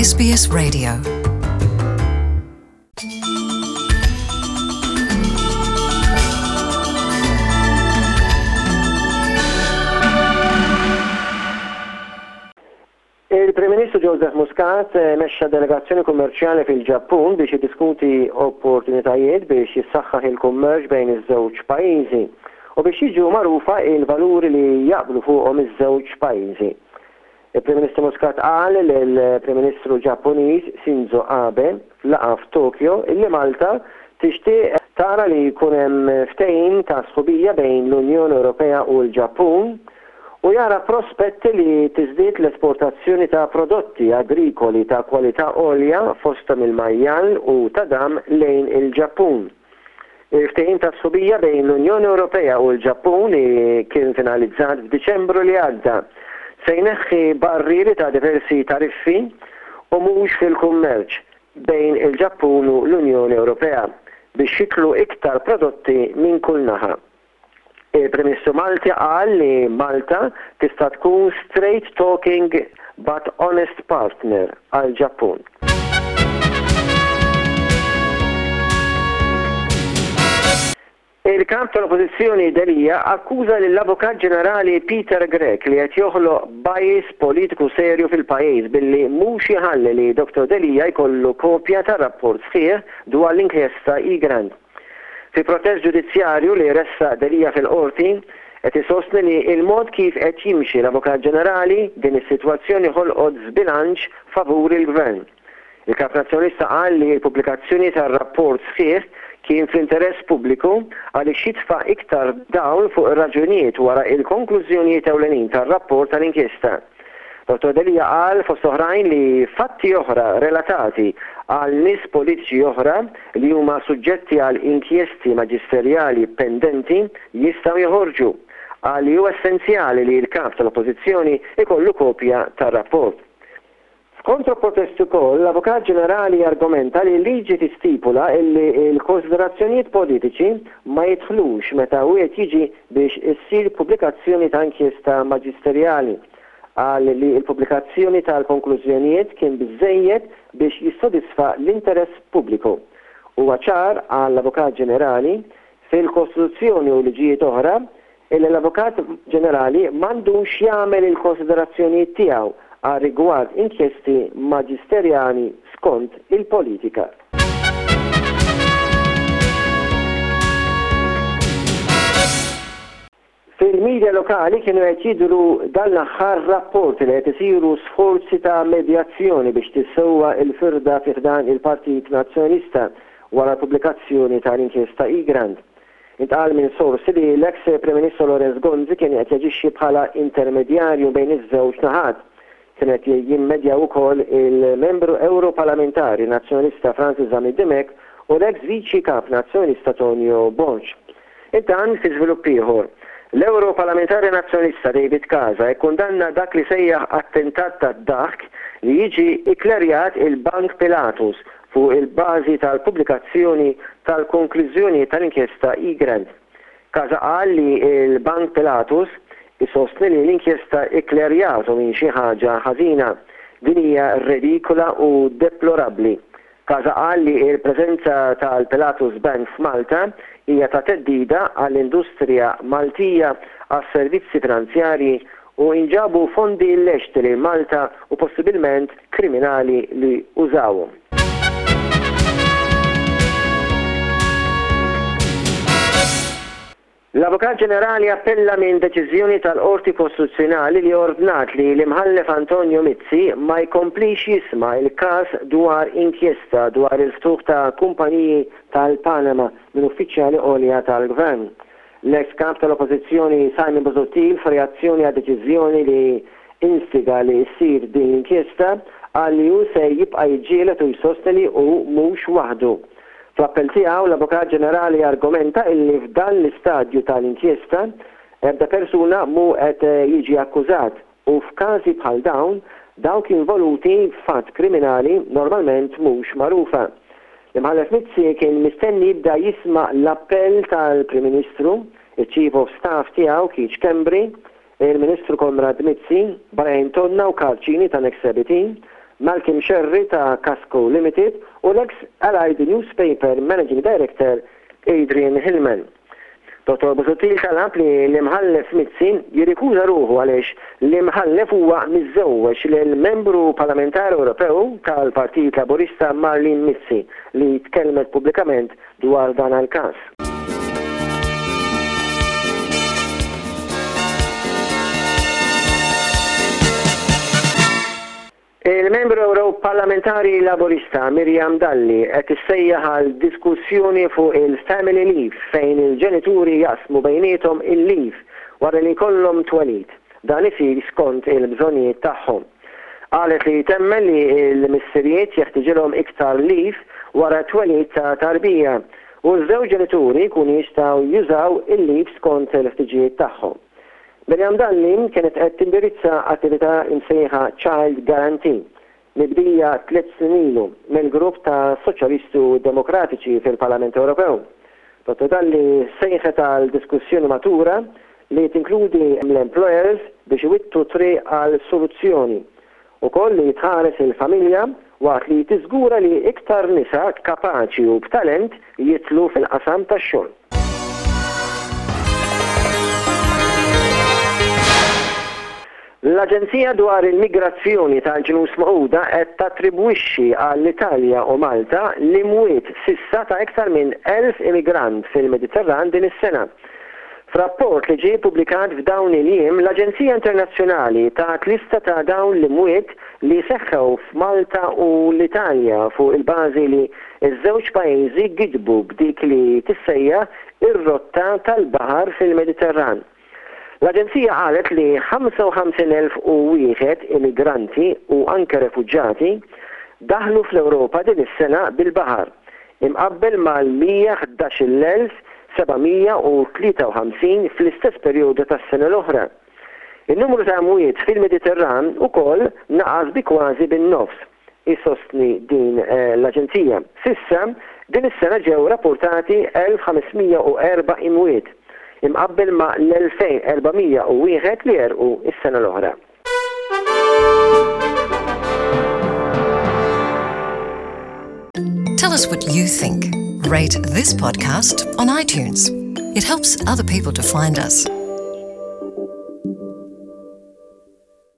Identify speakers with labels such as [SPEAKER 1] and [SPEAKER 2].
[SPEAKER 1] SBS Radio.
[SPEAKER 2] Il-Prim Ministru Joseph Muscat mexxa delegazzjoni kummerċjali fil-Ġappun biex jiddiskuti opportunitajiet biex jissaħħaħ il-kummerċ bejn iż-żewġ pajjiżi u biex jiġu magħrufa il-valuri li jaqblu fuqhom iż-żewġ pajjiżi. Il-Prim Ministru Muscat qal lill-Prim Ministru Ġappuniż Shinzo Abe f'laqgħa f'Tokyo illi Malta tixtieq tara li jkun hemm ftehim ta' sħubija bejn l-Unjoni Ewropea u l-Ġappun u jara prospetti li tiżdied l-esportazzjoni ta' prodotti agrikoli ta' kwalità għolja fosthom il-majjal u tadam lejn il-Ġappun. Il-ftehim ta' sħubija bejn l-Unjoni Ewropea u l-Ġappun li kien finalizzat f'Diċembru li għadda se jneħħi barrieri ta' diversi tariffi u mhux fil-kummerċ bejn il-Ġappun u l-Unjoni Ewropea biex jidħlu iktar prodotti minn kull naħa. Il-Prim Ministru Malti qal li Malta tista' tkun straight talking but honest partner għall-Ġappun. Il-Kap tal-Oppożizzjoni Delia akkuża lill-Avukat Ġenerali Peter Grech li qed joħloq bias politiku serju fil-pajjiż billi mhux iħalli li Dottor Delia jkollu kopja tar-rapport sħiħ dwar l-inkjesta Egrant. Fi protest ġudizzjarju li ressaq Delia fil-Qorti, qed isostni li il-mod kif qed jimxi l-Avukat Ġenerali, din is-sitwazzjoni ħolqot żbilanċ favur il-Gvern. Il-Kap Nazzjonalista qal li l-pubblikazzjoni tar-rapport sħiħ kien fl-interess pubbliku għaliex jitfa' iktar dawl fuq ir-raġunijiet wara il-konklużjonijiet ewlenin tar-rapport tal-inkjesta. Dottor Delia qal fost oħrajn li fatti oħra relatati għal nies politiċi oħra li huma suġġetti għal inkjesti maġisterjali pendenti jistgħu joħorġu. Qal li hu essenzjali li l-Kap tal-Oppożizzjoni jkollu kopja tar-rapport. F'kontroprotest ukoll, l-Avukat Ġenerali argumenta li l-liġi tistipula illi l-konsiderazzjonijiet politiċi ma jidħlux meta wieħed jiġi biex issir pubblikazzjoni ta' inkjesta maġisterjali. Qal li l-pubblikazzjoni tal-konklużjonijiet kien biżżejjed biex jissodisfa l-interess pubbliku. Huwa ċar, qal l-Avukat Ġenerali, fil-Kostituzzjoni u liġijiet oħra, Illi l-Avukat Ġenerali m'għandux jagħmel il-konsiderazzjonijiet tiegħu għar-rigward inkjesti maġisterjali skont il-politika. Fil-media lokali kienu qed jidhru dan l-aħħar rapporti li qed isiru sforzi ta' medjazzjoni biex tissewwa l-firda fi ħdan il-Partit Nazzjonalista wara l-pubblikazzjoni tal-inkjesta Egrant. Intqal minn sorsi li l-eks Prim Ministru Lawrence Gonzi kien qed jaġixxi bħala intermedjarju bejn iż-żewġ naħat. Kien qed jimmedjaw ukoll il-Membru Ewroparlamentari Nazzjonalista Francis Zammit Dimech u l-eks Viċi Kap Nazzjonalista Tonio Borg. Intant, fi żvilupp ieħor, l-Ewroparlamentari Nazzjonalista David Casa kkundanna dak li sejjaħ attentat tad-daħk li jiġi ikklerjat il-Bank Pilatus fuq il-bażi tal-pubblikazzjoni tal-konklużjonijiet tal-inkjesta Egrant. Casa qal li l-Bank Pilatus isostni li l-inkjesta ikklerjatu minn xi ħaġa ħażina. Din hija redikola u deplorabbli. Casa qal li l-preżenza tal-Pilatus Bank f'Malta hija ta' theddida għall-industrija Maltija għas-servizzi finanzjarji u inġabu fondi illeċti lejn Malta u possibilment kriminali li użawhom. L-Avukat Ġenerali appella minn deċiżjoni tal-Qorti Kostituzzjonali li ordnat li l-Imħallef Antonio Mizzi ma jkomplix jisma' l-każ dwar inkjesta dwar il-ftuħ ta' kumpaniji tal-Panama minn uffiċjali għolja tal-Gvern. L-eks Kap tal-Oppożizzjoni Simon Busuttil f'reazzjoni għad-deċiżjoni li instiga li ssir din l-inkjesta qal li hu se jibqa' jiġġieled u jsostni li hu mhux waħdu. Fl-appell tiegħu l-Avukat Ġenerali argumenta illi f'dan l-istadju tal-inkjesta ebda persuna mhu qed jiġi akkużat u f'każi bħal dawn, dawk involuti f'att kriminali normalment mhux magħrufa. L-Imħallef Mizzi kien mistenni jibda jisma' l-appell tal-Prim Ministru, iċ-Chief of Staff tiegħu Keith Schembri, il-Ministru Konrad Mizzi, Brian Tonna u Karl Cini ta' Next Sebitin. Malcolm Scerri ta' Kasco Limited u l-eks Allied Newspaper Managing Director Adrian Hillman. Dottor Busuttil talab li l-Imħallef Mizzi jirrikuża ruħu għaliex l-Imħallef huwa miżżewweġ lil Membru Parlamentari Ewropew tal-Partit Laburista Marlene Mizzi li tkellmet pubblikament dwar dan l-każ. Il-Membru Ewroparlamentari Laburista Miriam Dalli qed issejjaħ għal diskussjoni fuq il-family leave fejn il-ġenituri jaqsmu bejniethom il-leave wara li jkollhom twelid. Dan isir skont il-bżonnijiet tagħhom. Qalet li temmen li l-missirijiet jeħtiġilhom iktar leave wara t-twelid ta' tarbija u ż-żewġ ġenituri jkunu jistgħu jużaw il-leave skont il-ħtiġijiet tagħhom. Miriam Dalli kienet qed tindirizza attività imsejħa Child Guarantee, mibdija tliet snin ilu mill-grupp ta' Soċjalisti u Demokratiċi fil-Parlament Ewropew. Dottor Dalli sejħet għal diskussjoni matura li tinkludi l-employers biex iwittu t-triq għal soluzzjoni. Ukoll li tħares il-familja waqt li tiżgura li iktar nisa kapaċi u b'talent jidħlu fil-qasam tax-xogħol. L-Aġenzija dwar il-Migrazzjoni tal-Ġnus Magħquda qed tattribwixxi għall-Italja u Malta l-imwiet s'issa ta' iktar minn 1,000 immigrant fil-Mediterran din is-sena. F'rapport li ġie ppubblikat f'dawn il-jiem, l-Aġenzija Internazzjonali tat lista ta' dawn l-imwiet li seħħew f'Malta u l-Italja fuq il-bażi li ż-żewġ pajjiżi gidbu b'dik li tissejjaħ ir-rotta tal-baħar fil-Mediterran. L-Aġenzija qalet li 55,001 immigranti u anke refuġjati daħlu fl-Ewropa din is-sena bil-baħar, imqabbel mal-111,753 fl-istess perjodu tas-sena l-oħra. In-numru ta' imwiet fil-Mediterran ukoll naqas bi kważi bin-nofs, isostni din l-aġenzija. S'issa, din is-sena ġew rappurtati 1,504 imwiet, imqabbel ma' l-2,401 li għerqu s-sena l-oħra.
[SPEAKER 1] Tell us what you think. Rate this podcast on iTunes. It helps other people to find us.